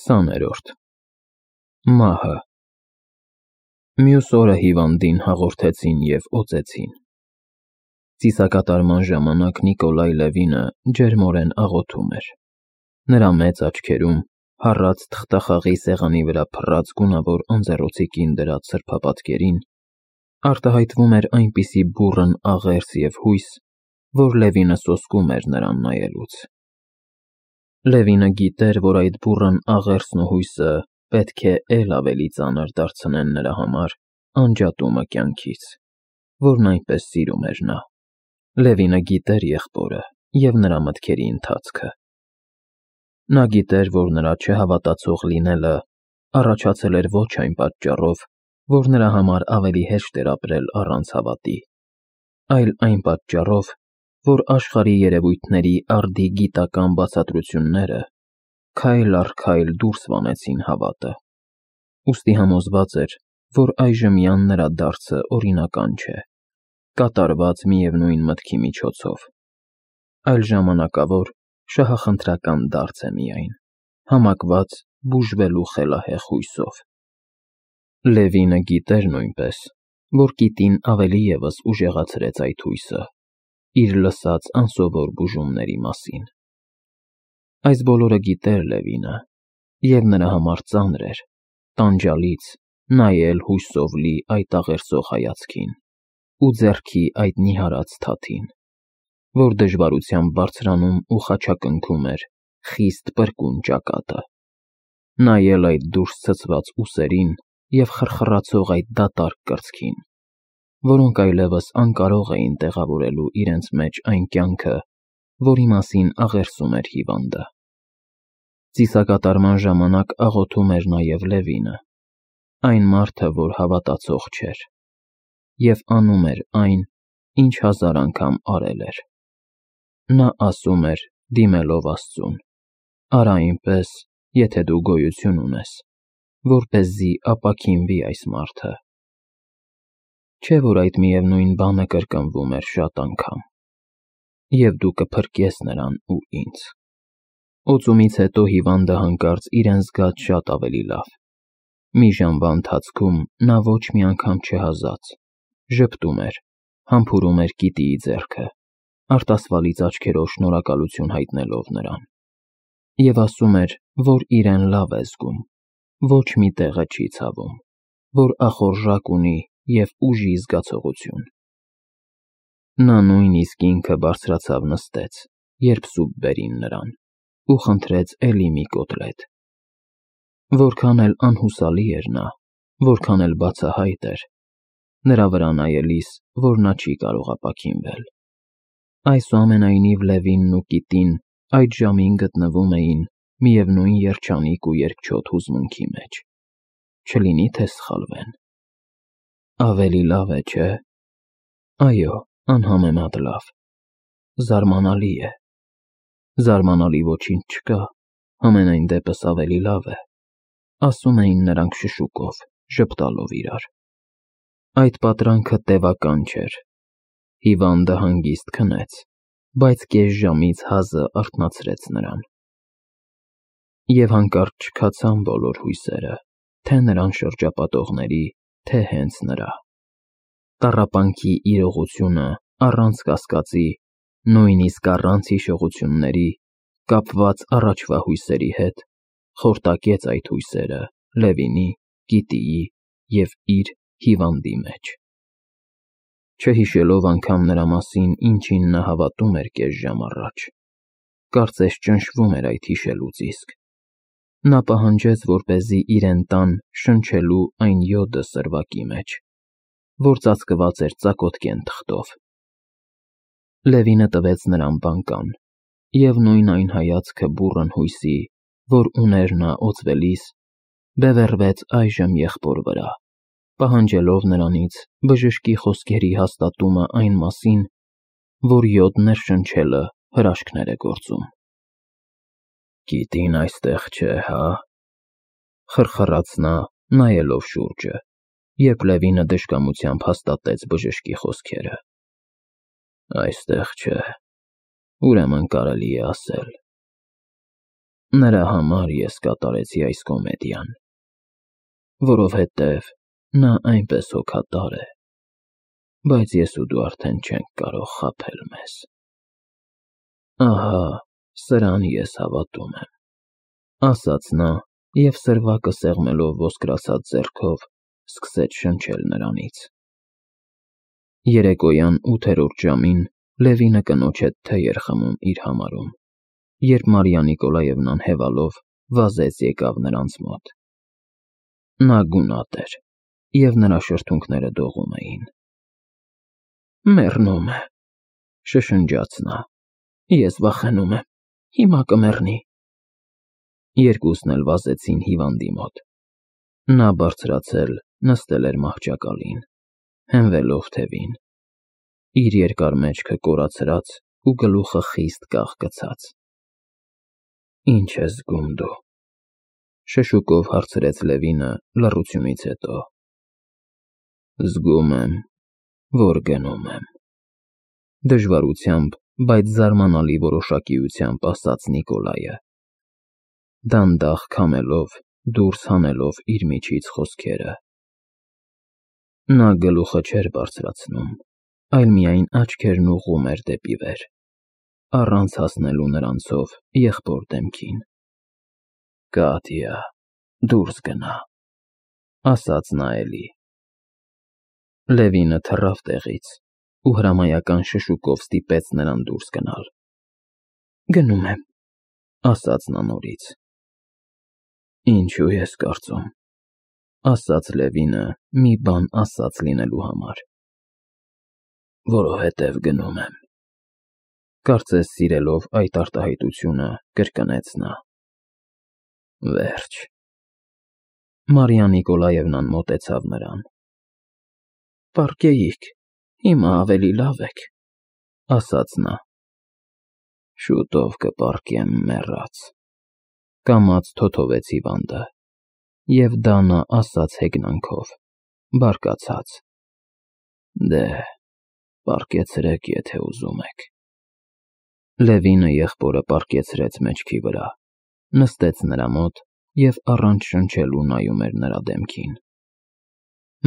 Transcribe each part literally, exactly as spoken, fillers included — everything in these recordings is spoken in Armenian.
Քսաներորդ Մահը Մյուս օրը հիվանդին հաղորդեցին և օծեցին։ Ծիսակատարման ժամանակ Նիկոլայ Լևինը ջերմորեն աղոթում էր։ Նրա մեծ աչքերում, հառած թղթախաղի սեղանի վրա փռած գունավոր անձեռոցի կին դրած սրբապատկերին, արտահայտվում էր այնպիսի բուռն աղերս և հույս, որ Լևինը սոսկում էր նրան նայելուց։ Լևինը գիտեր, որ այդ բուռն աղերսն ու հույսը պետք է էլ ավելի ծանր դարձնեն նրա համար անջատումը կյանքից, որն այնպես սիրում էր նա։ Լևինը գիտեր եղբորը և նրա մտքերի ընթացքը։ Նա գիտեր, որ նրա չհավատացող լինելը առաջացել էր ոչ այն պատճառով, որ նրա համար ավելի հեշտ էր ապրել առանց հավատի, այլ այն պատճառով, որ աշխարհի երևույթների արդի գիտական բացատրությունները քայլ առ քայլ դուրս վանեցին հավատը։ Ուստի համոզված էր, որ այժմյան նրա դարձը օրինական չէ, կատարված միևնույն մտքի միջոցով, այլ ժամանակավոր, շահախնդրական դարձ է միայն, համակված բուժվելու խելահեղ հույսով։ Լևինը գիտեր նույնպես, որ կիտին ավելի ևս ուժեղացրեց այդ հույսը, իր լսած անսովոր բուժումների մասին։ Այս բոլորը գիտեր Լևինը, և նրա համար ծանր էր, տանջալից նայել հույսով լի այդ աղերսող հայացքին ու ձեռքի այդ նիհարած թաթին, որ դժվարությամբ բարձրանում ու խաչակնքում էր խիստ պրկուն ճակատը, նայել այդ դուրս ցցված ուսերին և խրխռացող այդ դատարկ կրծքին, որոնք այլևս անկարող էին տեղավորելու իրենց մեջ այն կյանքը, որի մասին աղերսում էր հիվանդը։ Ծիսակատարման ժամանակ աղոթում էր նաև Լևինը, այն մարդը, որ հավատացող չէր, և անում էր այն, ինչ հազար անգամ արել էր։ Նա ասում էր, դիմելով Աստծուն. «Արա այնպես, եթե դու գոյություն ունես, որպեսզի ապաքինվի այս մարդը»։ Չէ՞ որ այդ միևնույն բանը կրկնվում էր շատ անգամ. «Եվ դու կփրկես նրան ու ինձ»։ Օծումից հետո հիվանդը հանկարծ իրեն զգաց շատ ավելի լավ։ Մի ժամվա ընթացքում նա ոչ մի անգամ չհազաց, ժպտում էր, համբուրում էր կիտիի ձեռքը, արտասվալից աչքերով շնորհակալություն հայտնելով նրան, և ասում էր, որ իրեն լավ է զգում, ոչ մի տեղը չի ցավում, որ ախորժակ ունի և ուժի զգացողություն։ Նա նույնիսկ ինքը բարձրացավ նստեց, երբ սուպ բերին նրան, ու խնդրեց էլի մի կոտլետ։ Որքան էլ անհուսալի էր նա, որքան էլ բացահայտ էր, նրա վրա նայելիս, որ նա չի կարող ապաքինվել։ Այսուամենայնիվ Լևինն ու կիտին այդ ժամին գտնվում էին միևնույն երջանիկ ու երկչոտ հուզմունքի մեջ, չլինի թե սխալվեն։ Ավելի լավ է, չէ՞։ Այո, անհամեմատ լավ։ Զարմանալի է։ Զարմանալի ոչինչ չկա, համենայն դեպս ավելի լավ է, ասում էին նրանք շշուկով, ժպտալով իրար։ Այդ պատրանքը տևական չէր։ Հիվանդը հանգիստ քնեց, բայց կես ժամից հազը արթնացրեց նրան։ Եվ հանկարծ չքացան բոլոր հույսերը, թե նրան շրջապատողների, թե հենց նրա։ Տառապանքի իրողությունը առանց կասկածի, նույնիսկ առանց հիշողությունների, կապված առաջվա հույսերի հետ, խորտակեց այդ հույսերը Լևինի, կիտիի և իր հիվանդի մեջ։ Չհիշելով անգամ նրա մասին, ինչին նա հավատում էր կես ժամ առաջ, կարծես ճնշվում էր այդ հիշելուց իսկ, նա պահանջեց, որպեսզի իրեն տան շնչելու այն յոդը սրվակի մեջ, որ ծածկված էր ծակոտկեն թղթով։ Լևինը տվեց նրան բանկան, և նույն այն հայացքը բուռն հույսի, որ ուներ նա օծվելիս, բևեռվեց այժմ եղբոր վրա, պահանջելով նրանից բժշկի խոսքերի հաստատումը այն մասին, որ յոդներ շնչելը հրաշքներ է գործում։ «Կիտին այստեղ չէ, հա՞, խրխռաց նա, նայելով շուրջը, երբ Լևինը դժկամությամբ հաստատեց բժշկի խոսքերը։ Այստեղ չէ, ուրեմն կարելի է ասել։ Նրա համար ես կատարեցի այս կոմեդիան, որովհետև նա այնպես հոգատար է, բայց ես ու դու արդեն չենք կարող խաբել մեզ։ Ահա, սրան ես հավատում եմ, ասաց նա և սրվակը սեղմելով ոսկրացած ձեռքով սկսեց շնչել նրանից։ Երեկոյան ութերորդ ժամին Լևինը կնոջ հետ թեյ էր խմում իր համարում, երբ Մարիա Նիկոլաևնան հևալով վազեց եկավ նրանց մոտ։ Նա գունատ էր, և նրա շրթունքները դողում էին։ Մեռնում է, շշնջաց նա, ես վախենում եմ, հիմա կմեռնի։ Երկուսն էլ վազեցին հիվանդի մոտ։ Նա բարձրացել նստել էր մահճակալին, հենվելով թևին, իր երկար մեջքը կորացրած ու գլուխը խիստ կաղկցած։ Ինչ ես զգում դու, շշուկով հարցրեց Լևինը լռությունից հետո։ Զգում եմ, որ գնում եմ, դժվարությամբ, բայց զարմանալի որոշակիությամբ ասաց Նիկոլայը, դանդաղ քամելով, դուրս հանելով իր միջից խոսքերը։ Նա գլուխը չէր բարձրացնում, այլ միայն աչքերն ուղղում էր դեպի վեր, առանց հասնելու նրանցով եղբոր դեմքին։ Կատյա, դուրս գնա, ասաց նա էլի։ Լևինը թռավ տեղից ու հրամայական շշուկով ստիպեց նրան դուրս գնալ։ Գնում եմ, ասաց նա նորից։ Ինչու ես կարծում, ասաց Լևինը մի բան ասած լինելու համար։ Որովհետև գնում եմ, կարծես սիրելով այդ արտահայտությունը կրկնեց նա։ Վերջ։ Մարիա Նիկոլաևնան մոտեցավ նրան։ Պառկեիք, հիմա ավելի լավ եք, ասաց նա։ Շուտով կպառկեմ, մեռած, կամաց թոթովեց հիվանդը, և դա նա ասաց հեգնանքով, բարկացած։ Դե, պառկեցրեք, եթե ուզում եք։ Լևինը եղբորը պառկեցրեց մեջքի վրա, նստեց նրա մոտ և առանց շնչելու նայում էր նրա դեմքին։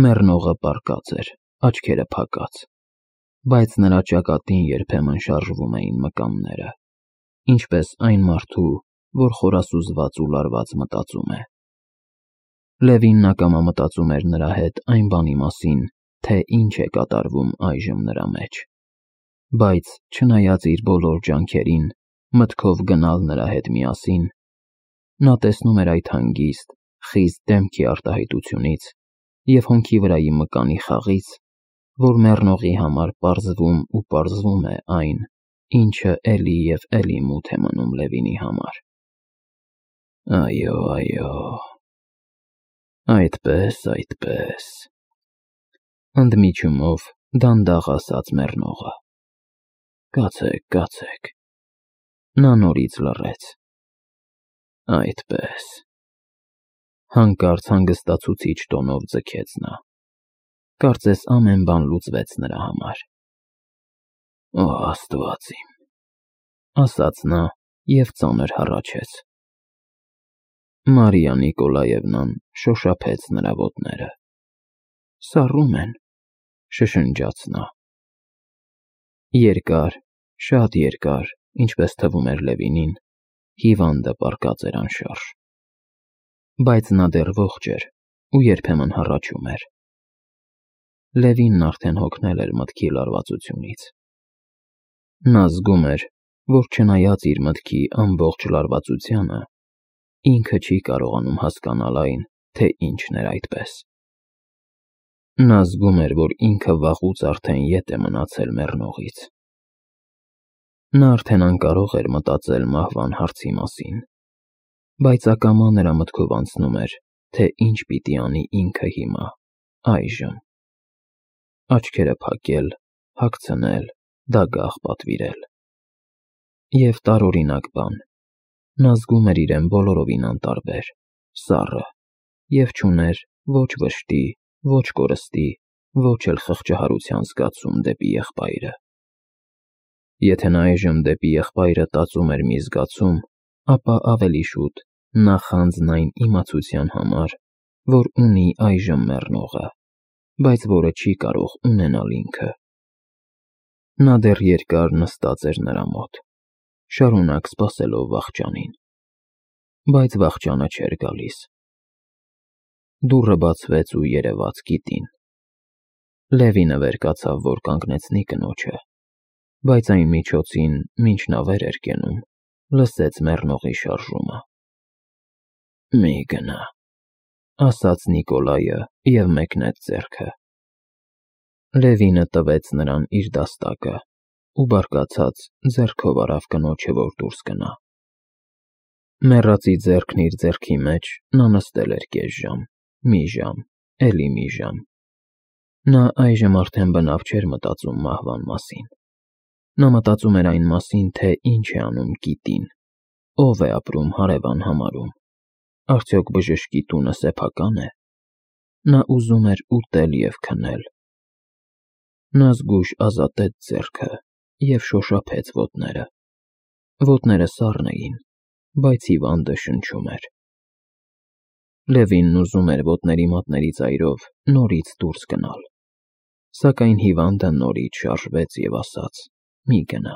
Մեռնողը պառկած էր, աչքերը փակած, բայց նրա ճակատին երբեմն շարժվում էին մկանները, ինչպես այն մարդու, որ խորասուզված ու լարված մտածում է։ Լևինն ակամա մտածում էր նրա հետ այն բանի մասին, թե ինչ է կատարվում այժմ նրա մեջ, բայց չնայած իր բոլոր ջանքերին, մտքով գնալ նրա հետ միասին, նա տեսնում էր այդ հանգիստ, խիստ դեմքի արտահայտությունից և հոնքի վրայի մկանի խաղից, որ մեռնողի համար պարզվում ու պարզվում է այն, ինչը էլի և էլի մութ է մնում Լևինի համար։ Այո, այո, այդպես, այդպես, ընդմիջումով դանդաղ ասաց մեռնողը։ Կացեք, կացեք։ Նա նորից լռեց։ Այդպես։ Հանկարծ հանգստացուցիչ տոնով ձգեց նա։ Կարծես ամեն բան լուծվեց նրա համար։ Օ, Աստված իմ, ասաց նա և ծանր հառաչեց։ Մարիա Նիկոլաևնան շոշափեց նրա ոտները։ Սառում են, շշնջաց նա։ Երկար, շատ երկար, ինչպես թվում էր Լևինին, հիվանդը պառկած էր անշարժ։ Բայց նա դեռ ողջ էր ու երբեմն հառաչում էր։ Լևինն արդեն հոգնել էր մտքի լարվածությունից։ Նա զգում էր, որ չնայած իր մտքի ամբողջ լարվածությանը, ինքը չի կարողանում հասկանալ այն, թե ինչն էր այդպես։ Նա զգում էր, որ ինքը վաղուց արդեն ետ է մնացել մեռնողից։ Նա արդեն անկարող էր մտածել մահվան հարցի մասին, բայց ակամա նրա մտքով անցնում էր, թե ինչ պիտի անի ինքը հիմա, այժմ։ Աչքերը փակել, հագցնել, դագաղ պատվիրել։ Եվ տարօրինակ բան, նա զգում էր իրեն բոլորովին անտարբեր, սառը, և չուներ ոչ վշտի, ոչ կորստի, ոչ էլ խղճահարության զգացում դեպի եղբայրը։ Եթե նա այժմ դեպի եղբայրը տածում էր մի զգացում, ապա ավելի շուտ նա խանձն այն իմացության համար, որ ունի այժմ մեռնողը, բայց որը չի կարող ունենալ ինքը։ Նա դեռ երկար նստած էր նրա մոտ, շարունակ սպասելով վախճանին, բայց վախճանը չէր գալիս։ Դուռը բացվեց ու երևաց Կիտին։ Լևինը վեր կացավ, որ կանգնեցնի կնոջը, բայց այն միջոցին, մինչ նա վեր էր կենում, լսեց մեռնողի շարժումը։ «Մի գնա», ասաց Նիկոլայը և մեկնեց ձեռքը։ Լևինը տվեց նրան իր դաստակը ու բարկացած ձեռքով արավ կնոջը, որ դուրս գնա։ Մեռածի ձեռքն իր ձեռքի մեջ նա նստել էր կես ժամ, մի ժամ, էլի մի ժամ։ Նա այժմ արդեն բնավ չէր մտածում մահվան մասին։ Նա մտածում էր այն մասին, թե ինչ է անում Կիտին, ով է ապրում հարևան համարում, արդյոք բժշկի տունը սեփակա՞ն է։ Նա ուզում էր ուտել և քնել։ Նա զգույշ ազատեց ձեռքը և շոշափեց ոտները։ Ոտները սառն էին, բայց հիվանդը շնչում էր։ Լևինն ուզում էր ոտների մատների ծայրով նորից դուրս գնալ, սակայն հիվանդը նորից շարժվեց և ասաց. «Մի գնա»։